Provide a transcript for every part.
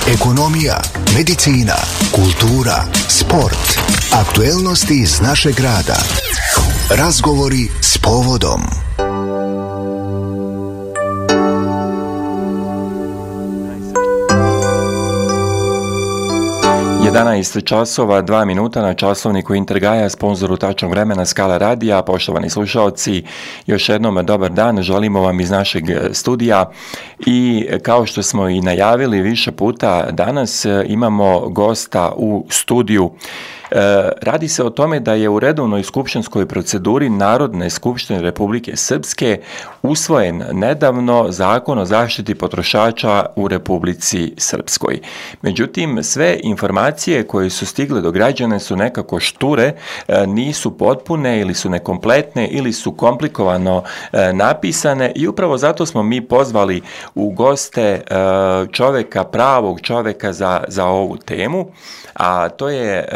Ekonomija, medicina, kultura, sport, aktuelnosti iz našeg grada. Razgovori s povodom. 11 časova, 2 minuta na časovniku Intergaja, sponzoru Tačnog vremena Skala radija. Poštovani slušalci, još jednom dobar dan, želimo vam iz našeg studija i kao što smo i najavili više puta, danas imamo gosta u studiju. Radi se o tome da je u redovnoj skupštinskoj proceduri Narodne skupštine Republike Srpske usvojen nedavno Zakon o zaštiti potrošača u Republici Srpskoj. Međutim, sve informacije koje su stigle do građana su nekako šture, nisu potpune ili su nekompletne ili su komplikovano napisane i upravo zato smo mi pozvali u goste pravog čoveka za ovu temu, a to je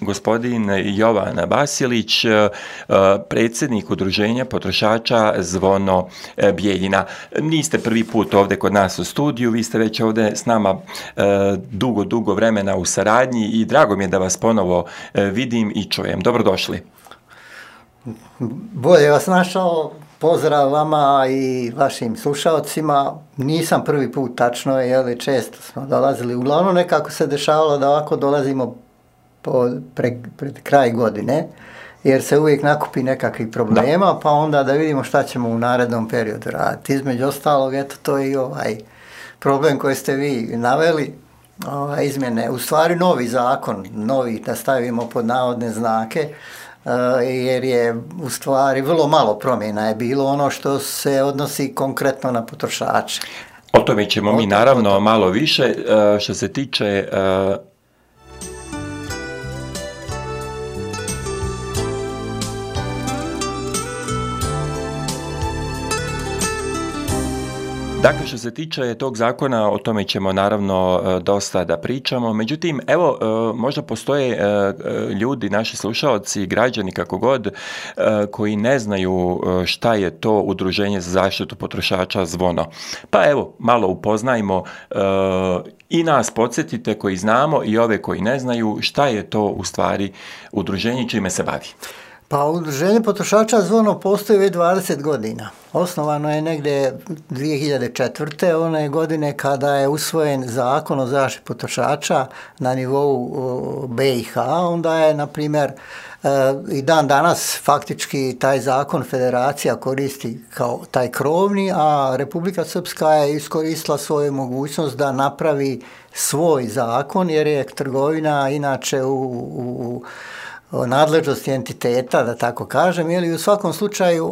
gospodin Jovan Vasilić, predsjednik Udruženja potrošača Zvono Bijeljina. Niste prvi put ovdje kod nas u studiju, vi ste već ovdje s nama dugo vremena u saradnji i drago mi je da vas ponovo vidim i čujem. Dobrodošli. Bolje vas našao. Pozdrav vama i vašim slušalcima. Nisam prvi put, tačno je, ali često smo dolazili. Uglavnom nekako se dešavalo da ovako dolazimo pred kraj godine, jer se uvijek nakupi nekakvih problema, pa onda da vidimo šta ćemo u narednom periodu raditi. Između ostalog, eto, to je i ovaj problem koji ste vi naveli, izmjene, u stvari novi zakon, novi, da stavimo pod navodne znake, jer je u stvari vrlo malo promjena je bilo ono što se odnosi konkretno na potrošače. O tome ćemo mi naravno malo više. Što se tiče Dakle, što se tiče tog zakona, o tome ćemo naravno dosta da pričamo. Međutim, evo, možda postoje ljudi, naši slušalci, građani, kako god, koji ne znaju šta je to Udruženje za zaštitu potrošača Zvono. Pa evo, malo upoznajmo i nas podsjetite koji znamo i ove koji ne znaju šta je to u stvari udruženje, čime se bavi. Pa Udruženje potrošača Zvono postoji već 20 godina. Osnovano je negdje 2004. one godine kada je usvojen Zakon o zaštiti potrošača na nivou BiH. Onda je, na primjer, i dan danas faktički taj zakon federacija koristi kao taj krovni, a Republika Srpska je iskoristila svoju mogućnost da napravi svoj zakon, jer je trgovina inače u nadležnosti entiteta, da tako kažem, ili u svakom slučaju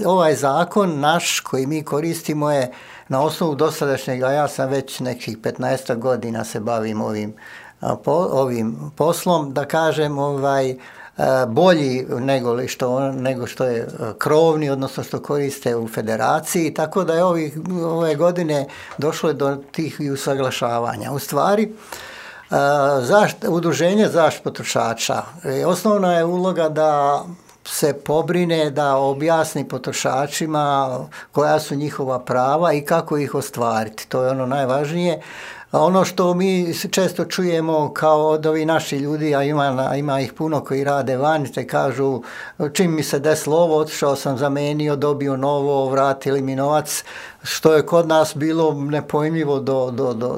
ovaj zakon naš koji mi koristimo je na osnovu dosadašnjega, ja sam već nekih 15 godina se bavim ovim poslom, da kažem, bolji nego što je krovni, odnosno što koriste u federaciji, tako da je ove godine došlo do tih usaglašavanja. U stvari, Udruženje zaštite potrošača, osnovna je uloga da se pobrine, da objasni potrošačima koja su njihova prava i kako ih ostvariti. To je ono najvažnije. Ono što mi često čujemo kao od ovih naših ljudi, a ima ih puno koji rade vani, te kažu čim mi se desilo ovo, otišao sam, zamenio, dobio novo, vratili mi novac, što je kod nas bilo nepojmljivo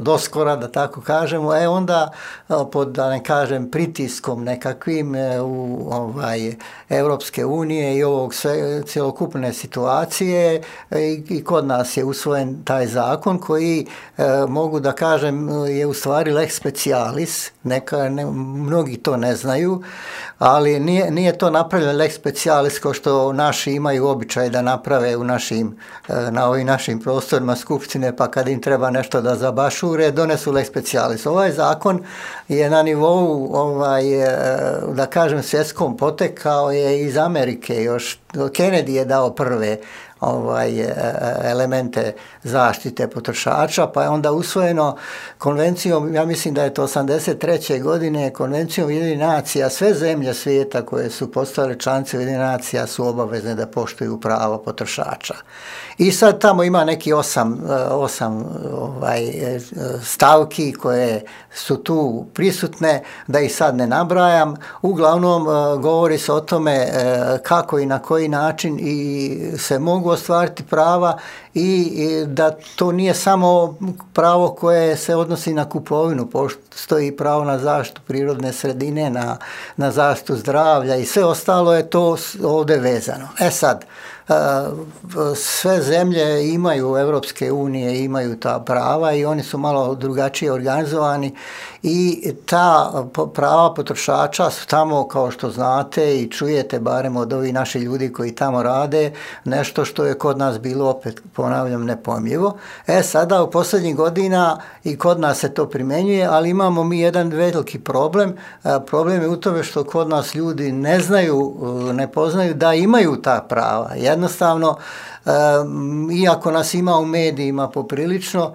do skora, da tako kažemo. Onda pod, da ne kažem, pritiskom nekakvim Europske unije i ovog cjelokupne situacije i kod nas je usvojen taj zakon koji mogu da kažem je u stvari lex specialis, mnogi to ne znaju, ali nije to napravljeno lex specialis kao što naši imaju običaj da naprave na ovim našim prostorima skupštine, pa kad im treba nešto da zabašure, donesu lex specialis. Ovaj zakon je na nivou, da kažem, svjetskom potekao je iz Amerike, još Kennedy je dao prve elemente zaštite potrošača, pa je onda usvojeno konvencijom, ja mislim da je to 83. godine, konvencijom Ujedinjenih nacija, sve zemlje svijeta koje su postale članice Ujedinjenih nacija su obavezne da poštuju prava potrošača. I sad tamo ima neki osam stavki koje su tu prisutne, da ih sad ne nabrajam. Uglavnom govori se o tome kako i na koji način i se mogu ostvariti prava i da to nije samo pravo koje se odnosi na kupovinu, postoji pravo na zaštitu prirodne sredine, na zaštitu zdravlja i sve ostalo je to ovdje vezano. Sad, sve zemlje imaju Europske unije, imaju ta prava i oni su malo drugačije organizovani i ta prava potrošača su tamo, kao što znate i čujete barem od ovih naših ljudi koji tamo rade, nešto što je kod nas bilo, opet ponavljam, nepojmljivo. Sada u posljednjih godina i kod nas se to primjenjuje, ali imamo mi jedan veliki problem. Problem je u tome što kod nas ljudi ne znaju, ne poznaju da imaju ta prava. Jednostavno, iako nas ima u medijima poprilično,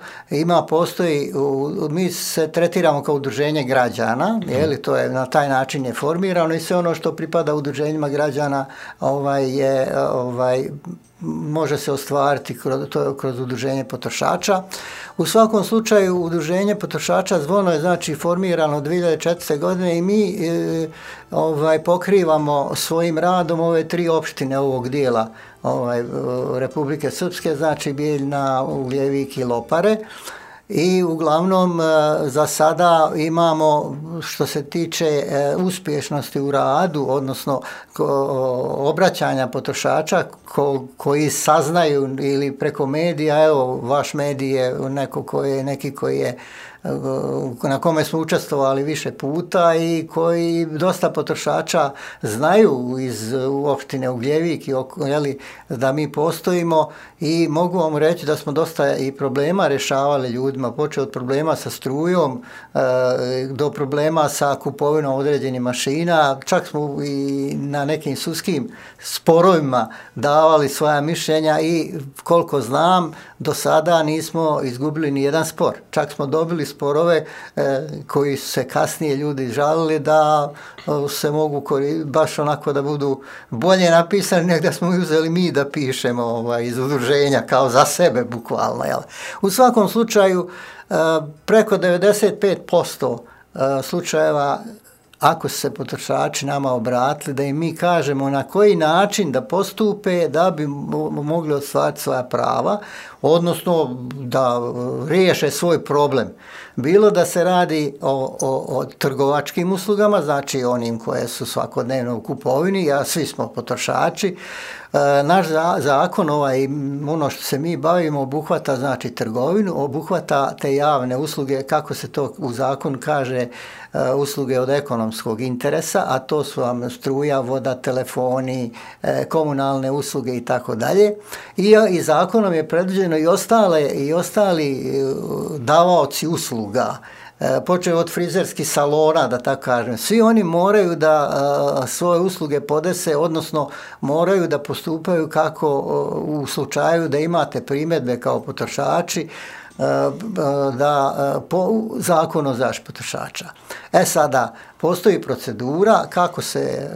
postoji, mi se tretiramo kao udruženje građana, to je na taj način je formirano i sve ono što pripada udruženjima građana može se ostvariti kroz udruženje potrošača. U svakom slučaju udruženje potrošača Zvono je znači formirano 2004. godine i mi pokrivamo svojim radom ove 3 opštine ovog dijela Republike Srpske, znači Bijeljina, Ugljevik i Lopare. I uglavnom za sada imamo, što se tiče uspješnosti u radu, odnosno obraćanja potrošača koji saznaju ili preko medija, evo vaš medij je neki koji je na kome smo učestvovali više puta i koji dosta potrošača znaju iz opštine Ugljevik da mi postojimo i mogu vam reći da smo dosta i problema rješavali ljudima, počeo od problema sa strujom do problema sa kupovinom određenih mašina, čak smo i na nekim sudskim sporovima davali svoja mišljenja i koliko znam do sada nismo izgubili ni jedan spor, čak smo dobili sporove koji su se kasnije ljudi žalili da se mogu baš onako da budu bolje napisani nego da smo uzeli mi da pišemo iz udruženja kao za sebe bukvalno. U svakom slučaju preko 95% slučajeva ako su se potrošači nama obratili da im mi kažemo na koji način da postupe da bi mogli ostvariti svoja prava, odnosno da riješe svoj problem. Bilo da se radi o trgovačkim uslugama, znači onim koje su svakodnevno u kupovini, a svi smo potrošači. Naš zakon, ono što se mi bavimo, obuhvata znači trgovinu, obuhvata te javne usluge, kako se to u zakonu kaže, usluge od ekonomskog interesa, a to su vam struja, voda, telefoni, komunalne usluge i tako dalje. I zakonom je predviđeno i ostali davaoci usluga, počeo od frizerskih salona, da tako kažem. Svi oni moraju da svoje usluge podese, odnosno moraju da postupaju kako u slučaju da imate primjedbe kao potrošači, da po zakonu o zaštiti potrošača. Sada, postoji procedura kako se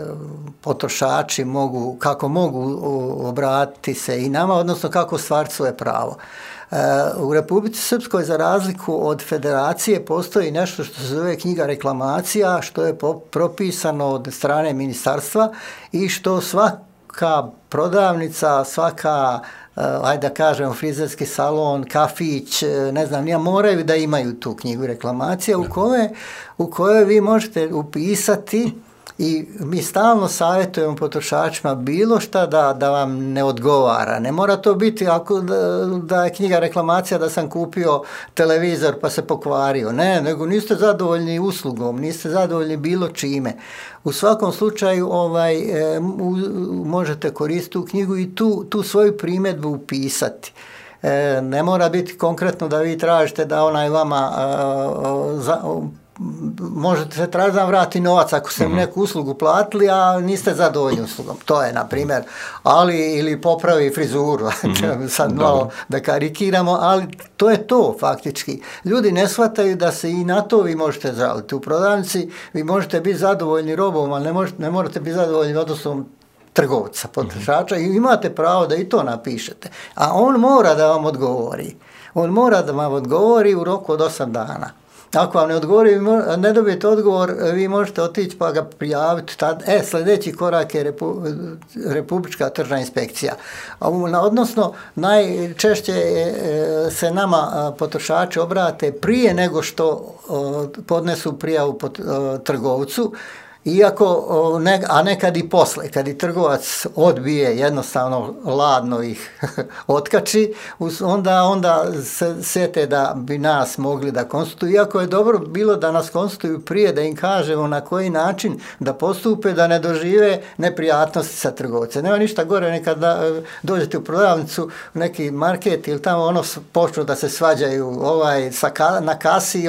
potrošači mogu obratiti se i nama, odnosno kako ostvariti svoje pravo. U Republici Srpskoj, za razliku od federacije, postoji nešto što se zove knjiga reklamacija, što je propisano od strane ministarstva i što svaka prodavnica, svaka da kažem, frizerski salon, kafić, ne znam, moraju da imaju tu knjigu reklamacija u kojoj vi možete upisati i mi stalno savjetujemo potrošačima bilo šta da vam ne odgovara. Ne mora to biti da je knjiga reklamacija da sam kupio televizor pa se pokvario. Ne, nego niste zadovoljni uslugom, niste zadovoljni bilo čime. U svakom slučaju možete koristiti tu knjigu i tu svoju primjedbu upisati. Ne mora biti konkretno da vi tražite da onaj vama možete se tražiti da vrati novac ako ste neku uslugu platili, a niste zadovoljni uslugom. To je, na primjer, ili popravi frizuru, sad malo da karikiramo, ali to je to faktički. Ljudi ne shvataju da se i na to vi možete žaliti. U prodavnici vi možete biti zadovoljni robom, ali ne morate biti zadovoljni odnosom trgovca, potrošača, i imate pravo da i to napišete. A on mora da vam odgovori. On mora da vam odgovori u roku od 8 dana. Ako vam ne odgovori, ne dobijete odgovor, vi možete otići pa ga prijaviti. Sljedeći korak je Republička tržna inspekcija. Odnosno, najčešće se nama potrošači obrate prije nego što podnesu prijavu trgovcu, a nekad i posle, kad i trgovac odbije, jednostavno ladno ih otkači, onda se sjete da bi nas mogli da konstituju. Iako je dobro bilo da nas konstituju prije, da im kažemo na koji način da postupe, da ne dožive neprijatnosti sa trgovcem. Nema ništa gore, nekad dođete u prodavnicu, neki market ili tamo počnu da se svađaju na kasi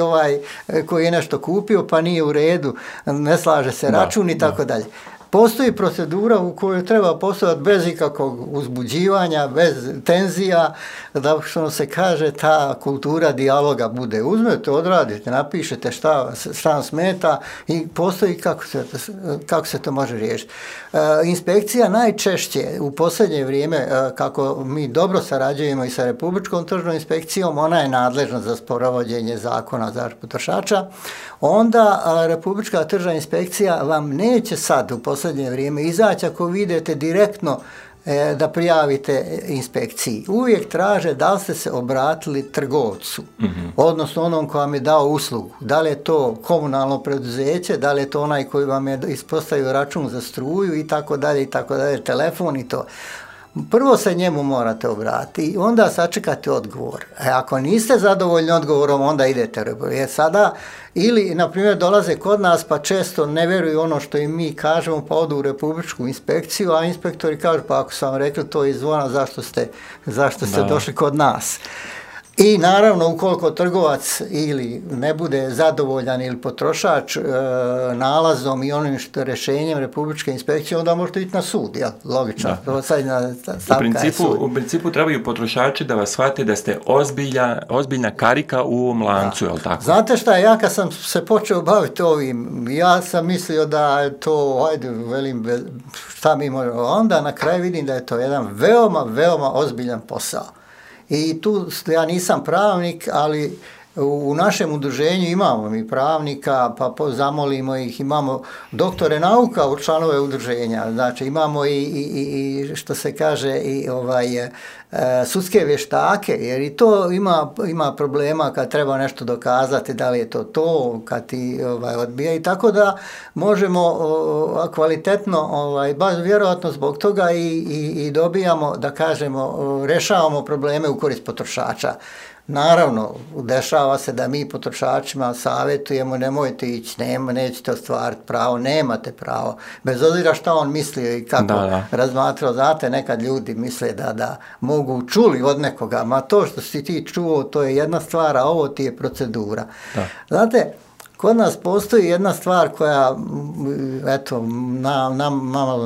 koji je nešto kupio pa nije u redu, ne slaže se račun i tako dalje. Postoji procedura u kojoj treba postojati bez ikakvog uzbuđivanja, bez tenzija, da što se kaže, ta kultura dijaloga bude. Uzmete, odradite, napišete šta vam smeta i postoji kako se to može riješiti. Inspekcija najčešće u posljednje vrijeme, kako mi dobro sarađujemo i sa Republičkom tržnom inspekcijom, ona je nadležna za sprovođenje zakona o zaštiti potrošača, onda Republička tržna inspekcija vam neće sad u posljednje vrijeme izaći ako vi idete direktno da prijavite inspekciji. Uvijek traže da li ste se obratili trgovcu, odnosno onom ko vam je dao uslugu. Da li je to komunalno preduzeće, da li je to onaj koji vam je ispostavio račun za struju i tako dalje, telefon i to. Prvo se njemu morate obratiti i onda sačekate odgovor. Ako niste zadovoljni odgovorom, onda idete. Jer sada, ili, na primjer, dolaze kod nas pa često ne vjeruju ono što im mi kažemo, pa odu u Republičku inspekciju, a inspektori kažu, pa ako sam vam rekli to izvona, zašto ste došli kod nas? I naravno, ukoliko trgovac ili ne bude zadovoljan ili potrošač nalazom i onim rješenjem Republičke inspekcije, onda možete ići na sud, logično. U principu trebaju potrošači da vas shvate da ste ozbiljna karika u ovom lancu, je li tako? Znate šta, ja kad sam se počeo baviti ovim, ja sam mislio da je to, šta mi možemo, onda na kraju vidim da je to jedan veoma, veoma ozbiljan posao. I tu ja nisam pravnik, ali u našem udruženju imamo mi pravnika, pa zamolimo ih, imamo doktore nauka u članove udruženja, znači imamo i što se kaže i sudske vještake, jer i to ima problema kad treba nešto dokazati, da li je to kad ti odbija, i tako da možemo kvalitetno, baš vjerojatno zbog toga i dobijamo, da kažemo, rješavamo probleme u korist potrošača. Naravno, dešava se da mi potrošačima savjetujemo, nemojte ići, nećete ostvariti pravo, nemate pravo, bez obzira šta on mislio i kako razmatrao. Znate, nekad ljudi misle da mogu čuli od nekoga, ma to što si ti čuo, to je jedna stvar, a ovo ti je procedura. Da. Znate, kod nas postoji jedna stvar koja, eto,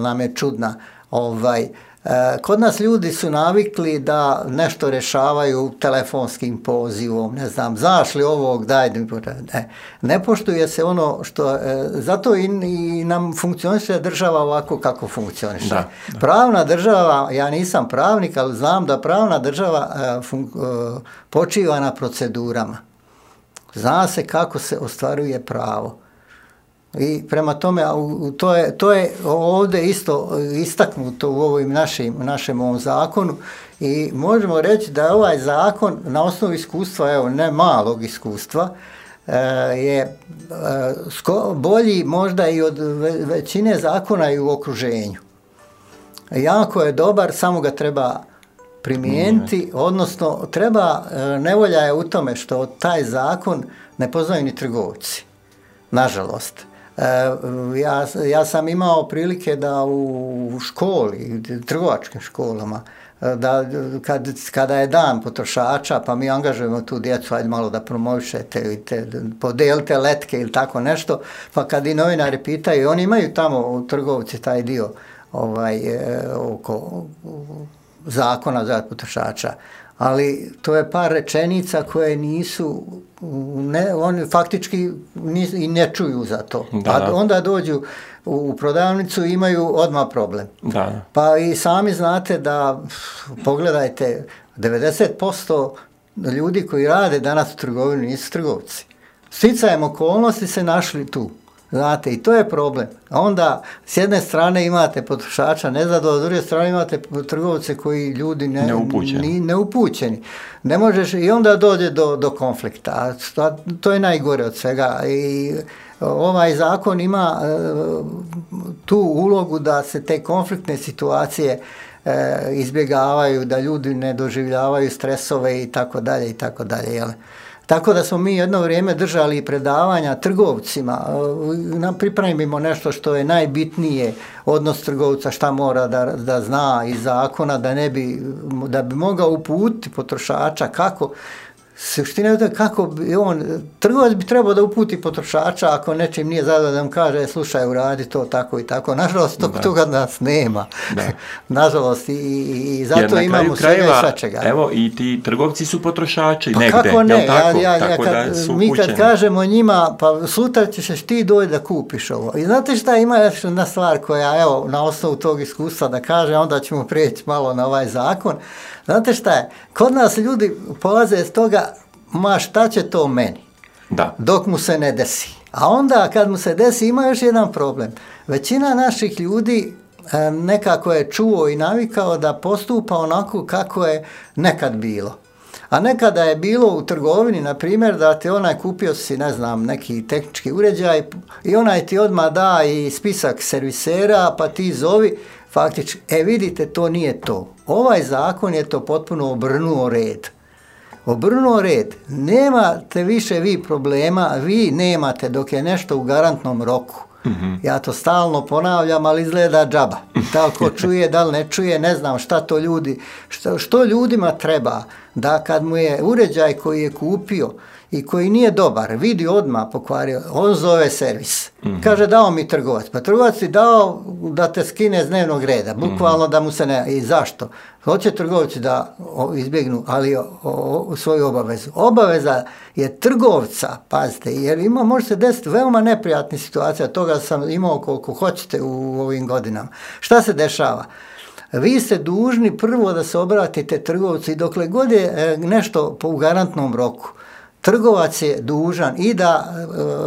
nam je čudna, kod nas ljudi su navikli da nešto rješavaju telefonskim pozivom, ne znam, zašli ovog, daj, ne poštuje se ono što, zato i nam funkcioniše država ovako kako funkcioniše. Da. Pravna država, ja nisam pravnik, ali znam da pravna država počiva na procedurama. Zna se kako se ostvaruje pravo. I prema tome, to je ovdje isto istaknuto u ovim našem ovom zakonu, i možemo reći da je ovaj zakon na osnovu iskustva, evo, ne malog iskustva, je bolji možda i od većine zakona i u okruženju. Jako je dobar, samo ga treba primijeniti, odnosno nevolja je u tome što taj zakon ne poznaju ni trgovci, nažalost. Ja sam imao prilike da u školi, trgovačkim školama, da kada je dan potrošača, pa mi angažujemo tu djecu, ajde malo da promovišete, podelite letke ili tako nešto, pa kad i novinari pitaju, oni imaju tamo u trgovci taj dio oko zakona za potrošača, ali to je par rečenica koje nisu, oni faktički i ne čuju za to. A onda dođu u prodavnicu i imaju odmah problem. Da. Pa i sami znate da, pogledajte, 90% ljudi koji rade danas u trgovini nisu trgovci. Sticajem okolnosti se našli tu. Znate, i to je problem. A onda, s jedne strane imate potrošača nezadovoljstva, s druge strane imate trgovce koji ljudi neupućeni. Ne možeš, i onda dođe do konflikta. To je najgore od svega. I ovaj zakon ima tu ulogu da se te konfliktne situacije izbjegavaju, da ljudi ne doživljavaju stresove i tako dalje i tako dalje, jel? Tako da smo mi jedno vrijeme držali predavanja trgovcima, pripremimo nešto što je najbitnije, odnos trgovca, šta mora da zna iz zakona, da bi mogao uputiti potrošača kako, suština je kako bi trgovac bi trebao da uputi potrošača ako nečim nije zadovoljan, da mu kaže slušaj, uradi to tako i tako. Nažalost, toga nas nema. Nažalost, i zato imamo svega i svačega. Evo, i ti trgovci su potrošači pa negde. Kako ne? Mi kad kažemo njima, pa sutra ćeš ti doći da kupiš ovo. I znate šta, ima još jedna stvar koja, evo, na osnovu tog iskustva da kaže, onda ćemo prijeći malo na ovaj zakon. Znate šta je? Kod nas ljudi polaze iz toga, ma šta će to meni? Da. Dok mu se ne desi. A onda kad mu se desi ima još jedan problem. Većina naših ljudi nekako je čuo i navikao da postupa onako kako je nekad bilo. A nekada je bilo u trgovini, na primjer, da ti onaj kupio si, ne znam, neki tehnički uređaj i onaj ti odmah da i spisak servisera, pa ti zovi, faktički, vidite, to nije to. Ovaj zakon je to potpuno obrnuo red. Obrnuo red. Nemate više vi problema, vi nemate dok je nešto u garantnom roku. Mm-hmm. Ja to stalno ponavljam, ali izgleda džaba. Da li ko čuje, da li ne čuje, ne znam šta to ljudi, što ljudima treba da kad mu je uređaj koji je kupio i koji nije dobar, vidi odmah pokvario, on zove servis. Mm-hmm. Kaže dao mi trgovac. Pa trgovac ti dao da te skine z dnevnog reda, bukvalno da mu se ne... I zašto? Hoće trgovci da izbjegnu, ali svoju obavezu. Obaveza je trgovca, pazite, jer može se desiti veoma neprijatni situacija, toga sam imao koliko hoćete u ovim godinama. Šta se dešava? Vi ste dužni prvo da se obratite trgovcu i dokle god je nešto u garantnom roku, trgovac je dužan i da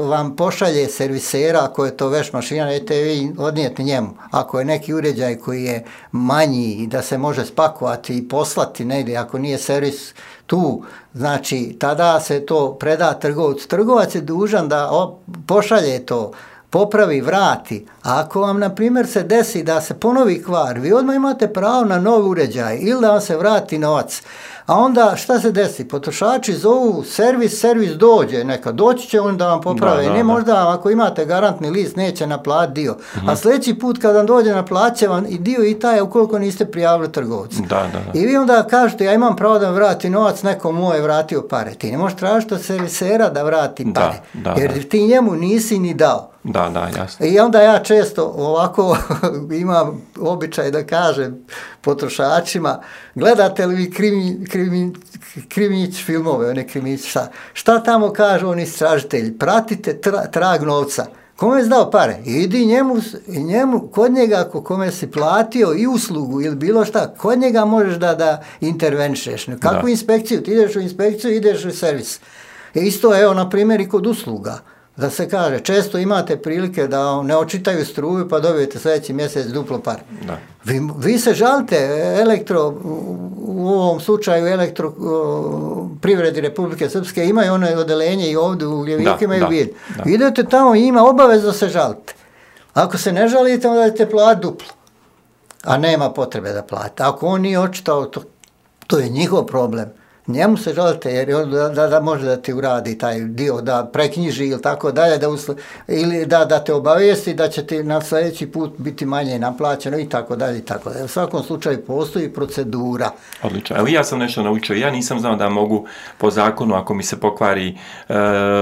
vam pošalje servisera, ako je to veš mašina, nećete vi odnijeti njemu. Ako je neki uređaj koji je manji i da se može spakovati i poslati negdje, ako nije servis tu, znači tada se to preda trgovcu. Trgovac je dužan da pošalje to, popravi, vrati. A ako vam, na primjer, se desi da se ponovi kvar, vi odmah imate pravo na novi uređaj ili da vam se vrati novac. A onda šta se desi? Potrošači zovu servis dođe, doći će on da vam poprave. Ne možda ako imate garantni list neće naplatiti dio. Mm-hmm. A sljedeći put kad vam dođe naplaće vam i dio i taj ukoliko niste prijavili trgovcu. I vi onda kažete ja imam pravo da vrati novac, neko mu je vratio pare. Ti ne možeš tražiti od servisera da vrati pare. Jer ti njemu nisi ni dao. Da, jasno. I onda ja često ovako imam običaj da kažem potrošačima, gledate li vi krimić filmove, one krimić, šta tamo kažu oni istražitelji, pratite trag novca. Kome je dao pare? Idi njemu, kod njega, kome si platio i uslugu ili bilo šta, kod njega možeš da intervenišeš. Kakvu inspekciju? Ti ideš u inspekciju, ideš u servis. Isto, evo, na primjer, i kod usluga. Da se kaže, često imate prilike da ne očitaju struju pa dobijete sljedeći mjesec duplo par. Vi se žalite u ovom slučaju Elektroprivredi Republike Srpske imaju ono odelenje i ovdje u Ljeviku imaju vid. Idete tamo i ima obavezu da se žalite. Ako se ne žalite, onda ćete platiti duplo. A nema potrebe da platite. Ako on nije očitao, to je njihov problem. njemu se žalite jer da može da ti uradi taj dio, da preknjiži ili tako dalje, ili da te obavijesti da će ti na sljedeći put biti manje naplaćeno i tako dalje i tako dalje. U svakom slučaju postoji procedura. Odlično. Evo ja sam nešto naučio. Ja nisam znao da mogu po zakonu, ako mi se pokvari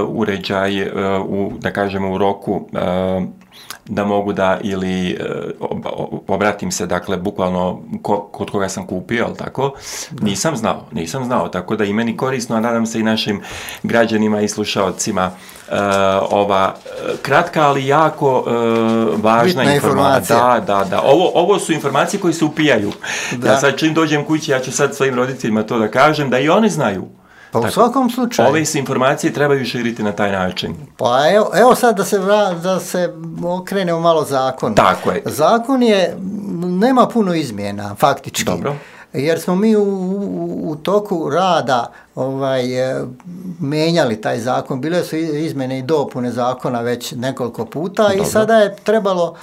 uređaj da kažemo u roku, da mogu da ili obratim se, dakle, bukvalno kod koga sam kupio, ali tako, nisam znao, tako da i meni korisno, a nadam se i našim građanima i slušalcima ova kratka, ali jako važna informacija. Da. Ovo su informacije koje se upijaju. Ja sad čim dođem kući, ja ću sad svojim roditeljima to da kažem, da i oni znaju. Pa u svakom slučaju. Ove se informacije trebaju širiti na taj način. Pa evo sad da se okrenemo malo zakon. Tako je. Zakon nema puno izmjena, faktički. Dobro. Jer smo mi u toku rada menjali taj zakon. Bile su izmjene i dopune zakona već nekoliko puta. Dobro. I sada je trebalo,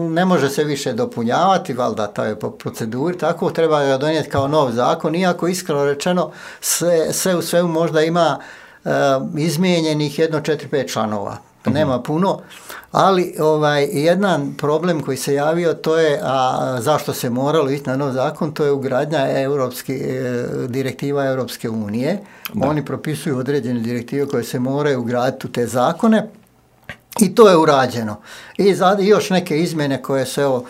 ne može se više dopunjavati, valjda to je po proceduri, tako treba ga donijeti kao nov zakon, iako iskreno rečeno sve u svemu možda ima izmijenjenih 4-5 članova. Nema puno, ali jedan problem koji se javio, to je, zašto se moralo ići na nov zakon, to je ugradnja direktiva Europske unije. Da. Oni propisuju određene direktive koje se moraju ugraditi u te zakone i to je urađeno. I još neke izmjene koje su,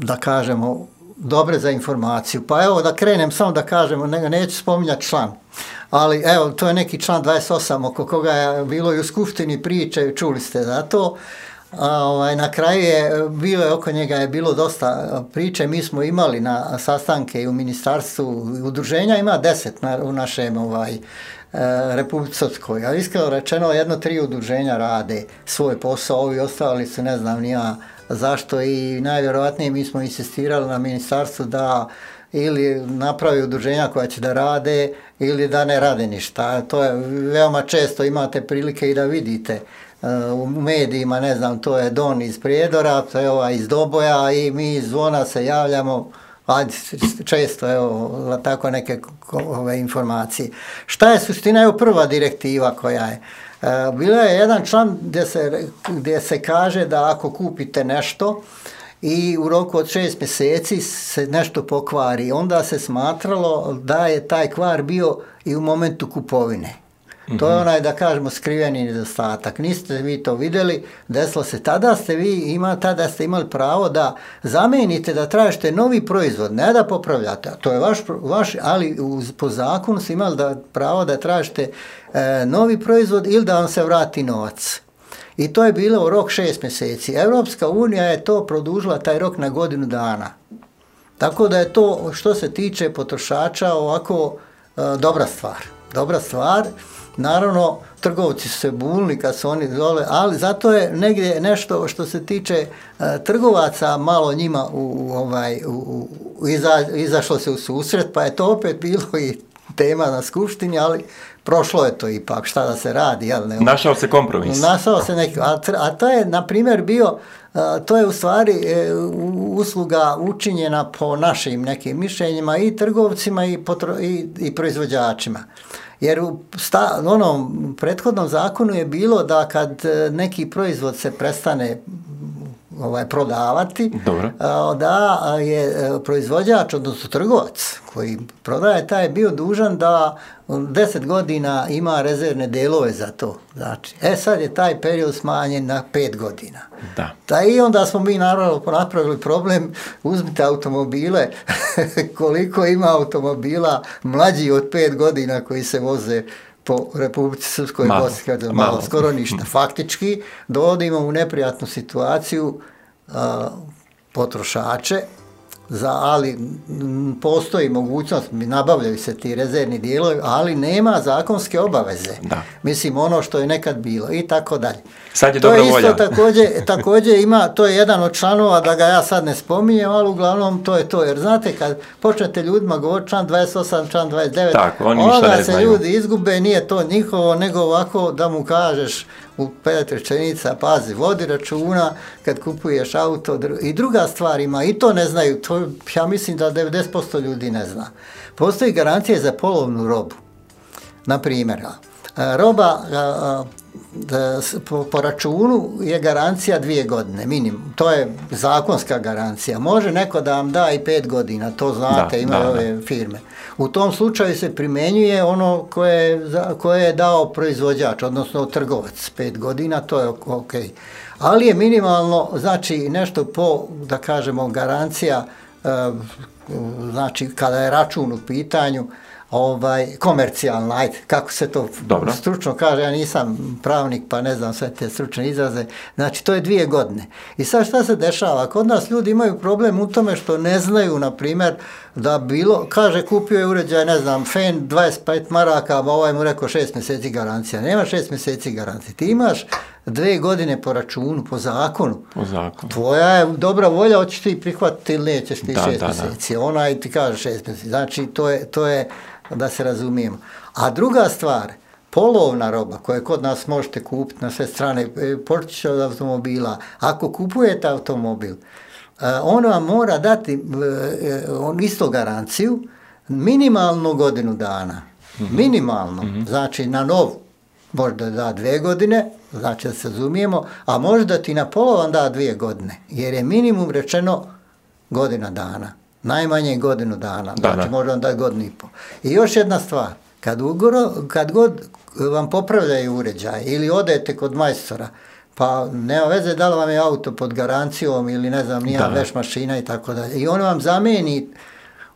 da kažemo, dobre za informaciju. Pa evo da krenem, samo da kažemo, neću spominjati član. Ali evo, to je neki član 28 oko koga je bilo i u skupštini priče, čuli ste za to. Na kraju oko njega je bilo dosta priče, mi smo imali na sastanke i u ministarstvu udruženja, ima 10 u našem Republici Srpskoj, a iskreno rečeno 1-3 udruženja rade svoj posao, ovi ostali su ne znam ni ja zašto i najvjerojatnije mi smo insistirali na ministarstvu da ili napravi udruženja koja će da rade ili da ne rade ništa. To je veoma često imate prilike i da vidite u medijima, ne znam, to je Don iz Prijedora, to je iz Doboja i mi iz Zvona se javljamo, često tako neke informacije. Šta je suština? Evo prva direktiva koja je. Bila je jedan član gdje se kaže da ako kupite nešto i u roku od 6 mjeseci se nešto pokvari, onda se smatralo da je taj kvar bio i u momentu kupovine. Mm-hmm. To je da kažemo skriveni nedostatak. Niste vi to vidjeli, desilo se. Tada ste imali pravo da zamijenite, da tražite novi proizvod, ne da popravljate. To je vaš, ali po zakonu ste imali pravo da tražite novi proizvod ili da vam se vrati novac. I to je bilo u rok 6 mjeseci. Europska unija je to produžila taj rok na godinu dana. Tako da je to, što se tiče potrošača, ovako dobra stvar. Naravno, trgovci su se bunili kad su oni dole, ali zato je negdje nešto što se tiče trgovaca malo njima izašlo se u susret, pa je to opet bilo i tema na skupštini, ali prošlo je to ipak, šta da se radi. Našao se kompromis. A to je, na primjer, bio, to je u stvari usluga učinjena po našim nekim mišljenjima i trgovcima i proizvođačima. Jer u onom prethodnom zakonu je bilo da kad neki proizvod se prestane prodavati, da je proizvođač, odnosno trgovac koji prodaje, taj je bio dužan da 10 godina ima rezervne delove za to. Znači, sad je taj period smanjen na 5 godina. Da. I onda smo mi naravno napravili problem, uzmite automobile, koliko ima automobila mlađi od 5 godina koji se voze po Republici Srpskoj, malo, skoro ništa. Faktički dovodimo u neprijatnu situaciju potrošače, ali postoji mogućnost, nabavljaju se ti rezervni dijelovi, ali nema zakonske obaveze. Da. Mislim, ono što je nekad bilo i tako dalje. Sad je dobra volja. To isto također ima, to je jedan od članova, da ga ja sad ne spominjem, ali uglavnom to je to. Jer znate, kad počnete ljudima govoriti član 28, član 29, tako, onda se ljudi izgube, nije to njihovo, nego ovako da mu kažeš u 5 rečenica, pazi, vodi računa kad kupuješ auto. I druga stvar ima, i to ne znaju, to ja mislim da 90% ljudi ne zna. Postoji garancija za polovnu robu. Na primjer, roba po računu je garancija 2 godine, minimum. To je zakonska garancija. Može neko da vam da i 5 godina, to znate, imaju ove firme. U tom slučaju se primjenjuje ono koje je dao proizvođač, odnosno trgovac, 5 godina, to je ok. Ali je minimalno, znači nešto po, da kažemo, garancija, znači kada je račun u pitanju, komercijalna, ajde, kako se to stručno kaže, ja nisam pravnik pa ne znam sve te stručne izraze, znači to je 2 godine. I sad šta se dešava? Kod nas ljudi imaju problem u tome što ne znaju, na primjer, da bilo, kaže kupio je uređaj, ne znam, fen 25 maraka, a ovaj mu rekao 6 mjeseci garancija. Nema 6 mjeseci garancije. Ti imaš 2 godine po računu, po zakonu. Tvoja je dobra volja, hoćeš ti prihvatiti ili nećeš ti 6 mjeseci. Onaj ti kaže 6 mjeseci. Znači, to je da se razumijemo. A druga stvar, polovna roba koju kod nas možete kupiti na sve strane, počet od automobila. Ako kupujete automobil, on vam mora dati isto garanciju, minimalno godinu dana. Minimalno. Znači, na nov možda da 2 godine, znači da se razumijemo, a možda ti na polovan da 2 godine, jer je minimum rečeno godina dana. Najmanje godinu dana, znači možda vam da 1,5 godinu. I još jedna stvar, kad god vam popravljaju uređaj ili odete kod majstora, pa nema veze da li vam je auto pod garancijom ili ne znam, nije veš mašina i tako dalje. I on vam zamijeni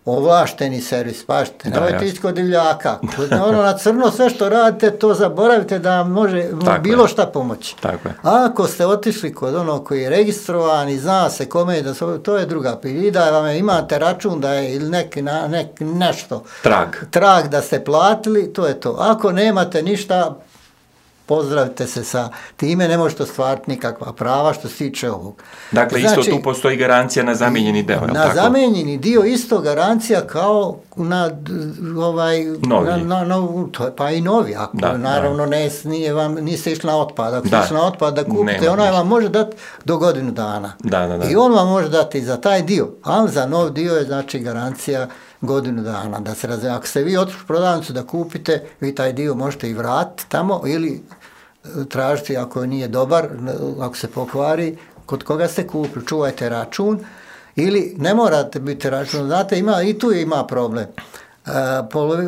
ovlašteni servis, pašte, nemojte ići kod divljaka. Ono na crno sve što radite, to zaboravite da vam može bilo šta pomoći. A ako ste otišli kod onog koji je registrovan i zna se kome je, to je druga priča. I da vam imate račun da je ili nešto, trag da ste platili, to je to. Ako nemate ništa, pozdravite se sa time, ne možete ostvariti nikakva prava što se tiče ovog. Dakle, isto tu postoji garancija na zamijenjeni dio, je li tako? Na zamijenjeni dio isto garancija kao na pa i novi, ako naravno niste išli na otpad. Ako ste išli na otpad da kupite, onaj vam može dati do godinu dana. I on vam može dati za taj dio, ali za nov dio je znači garancija godinu dana. Da se razumije, ako ste vi otišli u prodavnicu da kupite, vi taj dio možete i vratiti tamo ili tražiti ako nije dobar, ako se pokvari, kod koga ste kupili, čuvajte račun ili ne morate biti račun. Znate, i tu ima problem.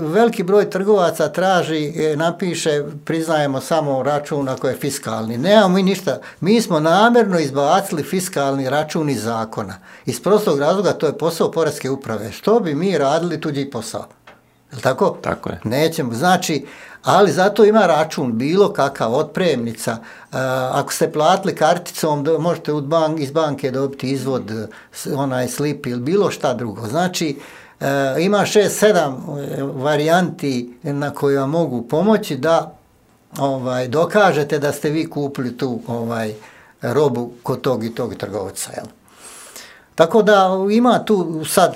Veliki broj trgovaca traži, napiše, priznajemo samo račun ako je fiskalni. Nemamo mi ništa. Mi smo namjerno izbacili fiskalni račun iz zakona. Iz prostog razloga to je posao Poreske uprave. Što bi mi radili tuđi posao? Je li tako? Tako je. Nećemo. Znači, ali zato ima račun bilo kakav, otpremnica. Ako ste platili karticom, možete iz banke dobiti izvod, onaj slip ili bilo šta drugo. Znači, ima 6-7 varijanti na koje vam mogu pomoći da dokažete da ste vi kupili tu robu kod tog i tog trgovca. Jel? Tako da ima tu sad,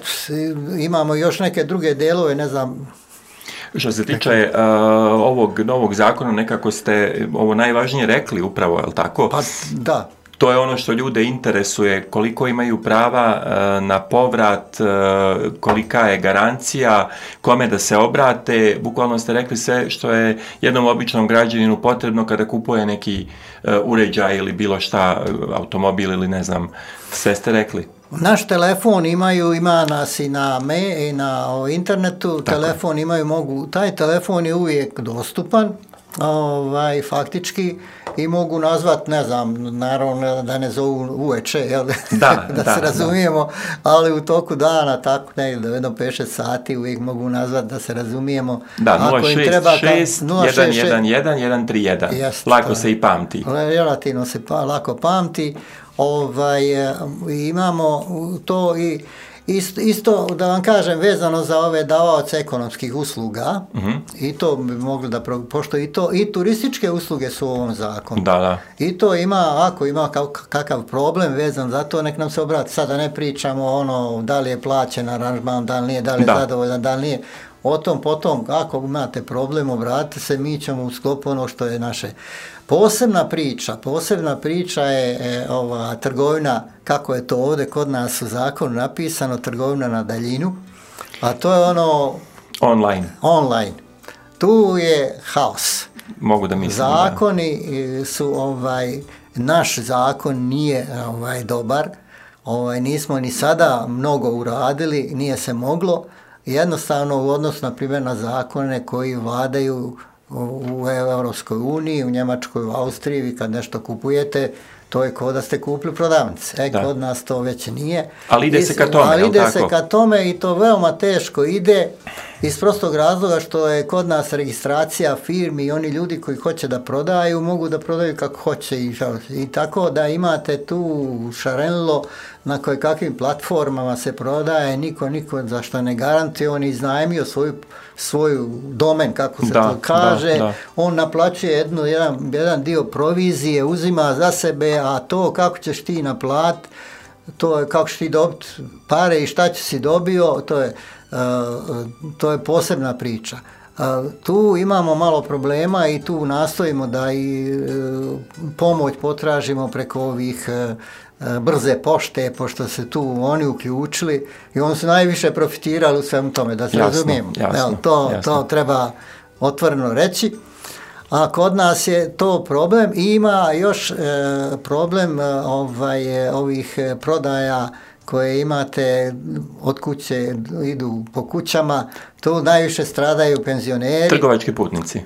imamo još neke druge delove, ne znam. Što se tiče ovog novog zakona, nekako ste ovo najvažnije rekli upravo, je li tako? Pa da. To je ono što ljude interesuje, koliko imaju prava na povrat, kolika je garancija, kome da se obrate. Bukvalno ste rekli sve što je jednom običnom građaninu potrebno kada kupuje neki uređaj ili bilo šta, automobil ili ne znam, sve ste rekli. Naš telefon ima nas i na internetu, telefon taj telefon je uvijek dostupan, faktički, i mogu nazvat, ne znam, naravno da ne zovu uveče, jel? da se razumijemo, ali u toku dana, tako negdje, jedno 5-6 sati uvijek mogu nazvat da se razumijemo. Da, 066-111-131, lako se i pamti. Relativno se lako pamti, imamo to i isto da vam kažem vezano za ove davaoce ekonomskih usluga, i to bi mogli da, pošto i turističke usluge su u ovom zakonu. I to ima, ako ima kakav problem vezan za to, nek nam se obrati. Sada ne pričamo da li je plaćen aranžman, da li nije, da li je zadovoljan, da li nije. o tom potom, ako imate problem, obratite se, mi ćemo u sklopu ono što je naše. Posebna priča je ova trgovina, kako je to ovdje kod nas u zakonu napisano, trgovina na daljinu, a to je ono online. Tu je haos. Mogu da mislim. Zakoni su naš zakon nije dobar. Nismo ni sada mnogo uradili, nije se moglo. Jednostavno u odnosu na primjer na zakone koji vladaju u Europskoj uniji, u Njemačkoj, u Austriji, vi kad nešto kupujete, to je kao da ste kupili prodavnice. Kod nas to već nije. Ali ide se ka tome, ali ide se ka tome i to veoma teško ide iz prostog razloga što je kod nas registracija firmi i oni ljudi koji hoće da prodaju, mogu da prodaju kako hoće i tako da imate tu šarenilo na kakvim platformama se prodaje, niko zašto ne garantuje, on iznajmio svoju domen, kako se to kaže, on naplaćuje jedan dio provizije, uzima za sebe, a to kako ćeš ti naplatiti, to je kako ćeš ti dobiti pare i šta će si dobio, to je posebna priča. Tu imamo malo problema i tu nastojimo da i pomoć potražimo preko ovih brze pošte, pošto se tu oni uključili i oni su najviše profitirali u svemu tome, da se razumijemo. To treba otvoreno reći. A kod nas je to problem i ima još problem ovih prodaja koje imate od kuće, idu po kućama, tu najviše stradaju penzioneri. Trgovački putnici.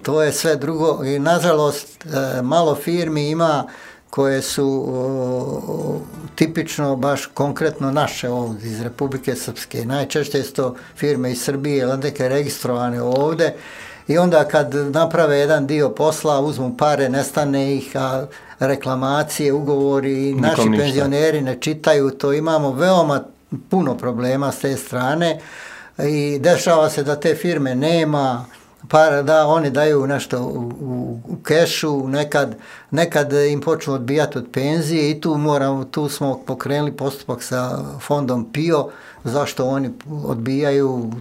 To je sve drugo i nažalost malo firmi ima koje su tipično baš konkretno naše ovdje iz Republike Srpske. Najčešće su to firme iz Srbije, neke registrovane ovdje i onda kad naprave jedan dio posla, uzmu pare, nestane ih, a reklamacije, ugovori, naši penzioneri ne čitaju, to imamo veoma puno problema s te strane i dešava se da te firme nema para, da oni daju nešto u kešu, nekad im počnu odbijati od penzije i tu smo pokrenuli postupak sa fondom PIO, zašto oni odbijaju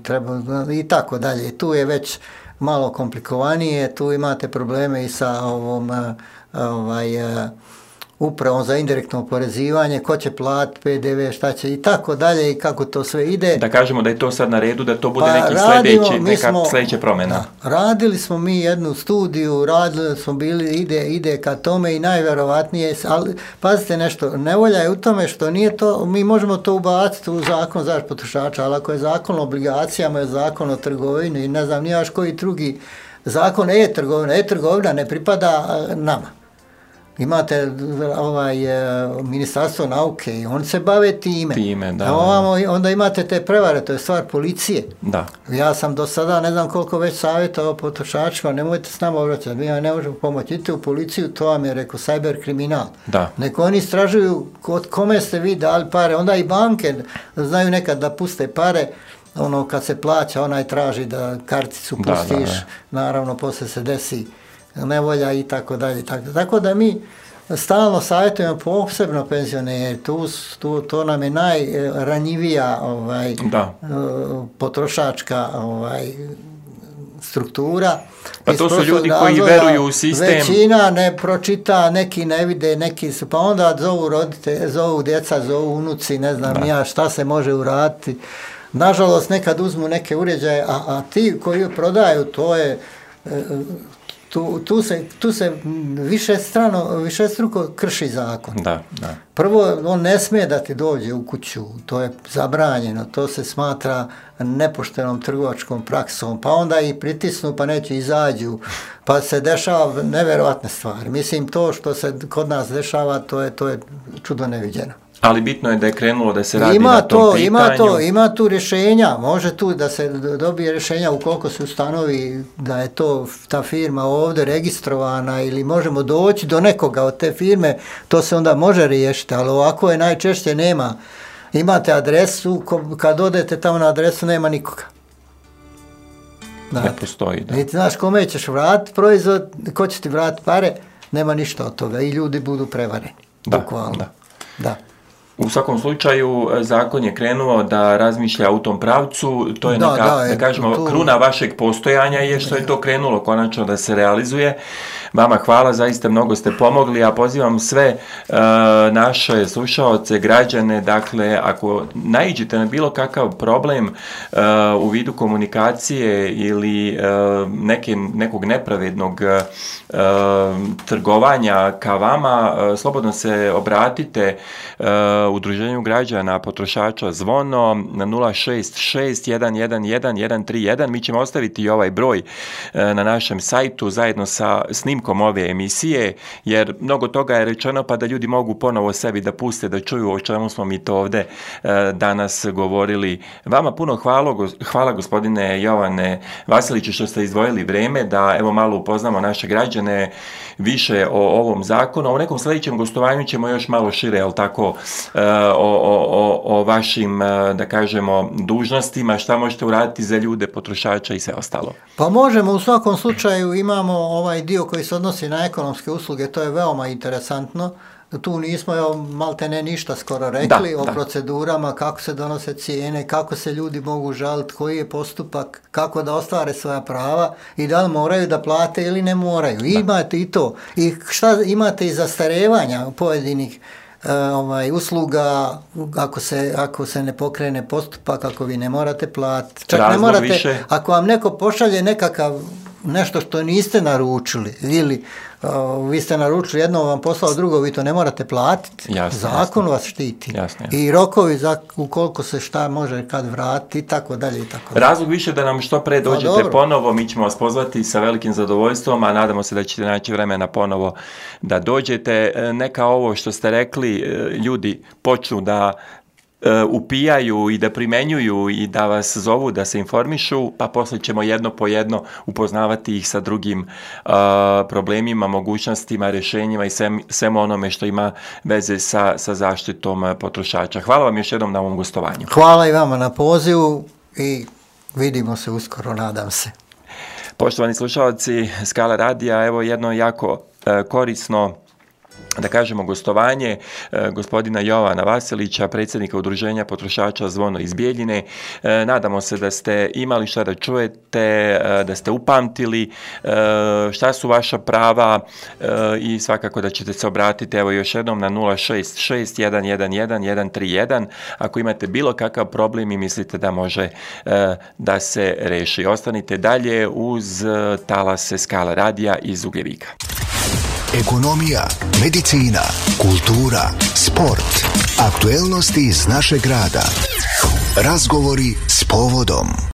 i tako dalje. Tu je već malo komplikovanije, tu imate probleme i sa upravom za indirektno oporezivanje, ko će platiti PDV, šta će i tako dalje i kako to sve ide. Da kažemo da je to sad na redu, da to bude neka sljedeća promjena. Radili smo mi jednu studiju, radili smo ide ka tome i najvjerovatnije, ali pazite nešto, nevolja je u tome što nije to, mi možemo to ubaciti u zakon zaštite potrošača, ali ako je zakon o obligacijama, je zakon o trgovini i ne znam nijaš koji drugi zakon e-trgovina ne pripada nama. Imate Ministarstvo nauke i oni se bave time. Onda imate te prevare, to je stvar policije. Da. Ja sam do sada ne znam koliko već savjetovao potrošačima, nemojte s nama obraćati, mi ne možemo pomoći. Idite u policiju, to vam je rekao cyber kriminal. Neko oni istražuju od kome ste vi dali pare, onda i banke znaju nekad da puste pare, kad se plaća, onaj traži da karticu pustiš, naravno poslije se desi nevolja i tako dalje. Tako da mi stalno savjetujemo posebno penzioneri, to nam je najranjivija potrošačka struktura. Pa to su ljudi koji veruju u sistem. Većina ne pročita, neki ne vide, pa onda zovu djeca, zovu unuci, ne znam ja šta se može uraditi. Nažalost, nekad uzmu neke uređaje, a ti koji prodaju, to je... Tu se višestruko krši zakon. Prvo, on ne smije da ti dođe u kuću, to je zabranjeno, to se smatra nepoštenom trgovačkom praksom, pa onda i pritisnu pa neće izađu, pa se dešava nevjerovatne stvari. Mislim, to što se kod nas dešava, to je čudo neviđeno. Ali bitno je da je krenulo da se radi na tom pitanju. Ima tu rješenja, može tu da se dobije rješenja ukoliko se ustanovi da je ta firma ovdje registrovana ili možemo doći do nekoga od te firme, to se onda može riješiti, ali ovako je najčešće nema. Imate adresu, kad odete tamo na adresu nema nikoga. Ne postoji. Niti znaš kome ćeš vratiti proizvod, ko će ti vratiti pare, nema ništa od toga i ljudi budu prevareni. Bukvalno. Da. U svakom slučaju, zakon je krenuo da razmišlja u tom pravcu, to je da kažemo, kruna vašeg postojanja je što je to krenulo konačno da se realizuje. Vama hvala, zaista mnogo ste pomogli, a pozivam sve naše slušaoce, građane, dakle, ako naiđete na bilo kakav problem u vidu komunikacije ili nekog nepravednog trgovanja ka vama, slobodno se obratite Udruženju građana potrošača Zvono na 066-111-131. Mi ćemo ostaviti i ovaj broj na našem sajtu zajedno sa snimkom ove emisije, jer mnogo toga je rečeno, pa da ljudi mogu ponovo sebi da puste, da čuju o čemu smo mi to ovde danas govorili. Vama puno hvala gospodine Jovane Vasiliću što ste izdvojili vreme da evo malo upoznamo naše građane više o ovom zakonu. U nekom sljedećem gostovanju ćemo još malo šire, jel tako, o vašim, da kažemo, dužnostima, šta možete uraditi za ljude, potrošača i sve ostalo. Pa možemo, u svakom slučaju imamo ovaj dio koji se odnosi na ekonomske usluge, to je veoma interesantno. Tu nismo maltene ništa skoro rekli o procedurama, kako se donose cijene, kako se ljudi mogu žaliti, koji je postupak, kako da ostvare svoja prava i da li moraju da plate ili ne moraju. Imate i to. I šta imate i zastarevanja pojedinih usluga ako se ne pokrene postupak, ako vi ne morate platiti. Čak ne morate, više. Ako vam neko pošalje nešto što niste naručili ili vi ste naručili jedno, vam poslao drugo, vi to ne morate platiti. Zakon vas štiti. Jasne. I rokovi ukoliko se šta može kad vratiti i tako dalje. Razlog više da nam što pre dođete ponovo, mi ćemo vas pozvati sa velikim zadovoljstvom, a nadamo se da ćete naći vremena ponovo da dođete. Neka ovo što ste rekli, ljudi počnu da upijaju i da primenjuju i da vas zovu da se informišu, pa posle ćemo jedno po jedno upoznavati ih sa drugim problemima, mogućnostima, rješenjima i svemu onome što ima veze sa zaštitom potrošača. Hvala vam još jednom na ovom gostovanju. Hvala i vama na pozivu i vidimo se uskoro, nadam se. Poštovani slušalci Skala radija, evo jedno jako korisno, da kažemo, gostovanje gospodina Jovana Vasilića, predsjednika Udruženja potrošača Zvono iz Bijeljine. Nadamo se da ste imali šta da čujete, da ste upamtili šta su vaša prava i svakako da ćete se obratiti evo još jednom na 066-111-131 ako imate bilo kakav problem i mislite da može da se reši. Ostanite dalje uz talase Skala radija iz Ugljevika. Ekonomija, medicina, kultura, sport, aktuelnosti iz našeg grada. Razgovori s povodom.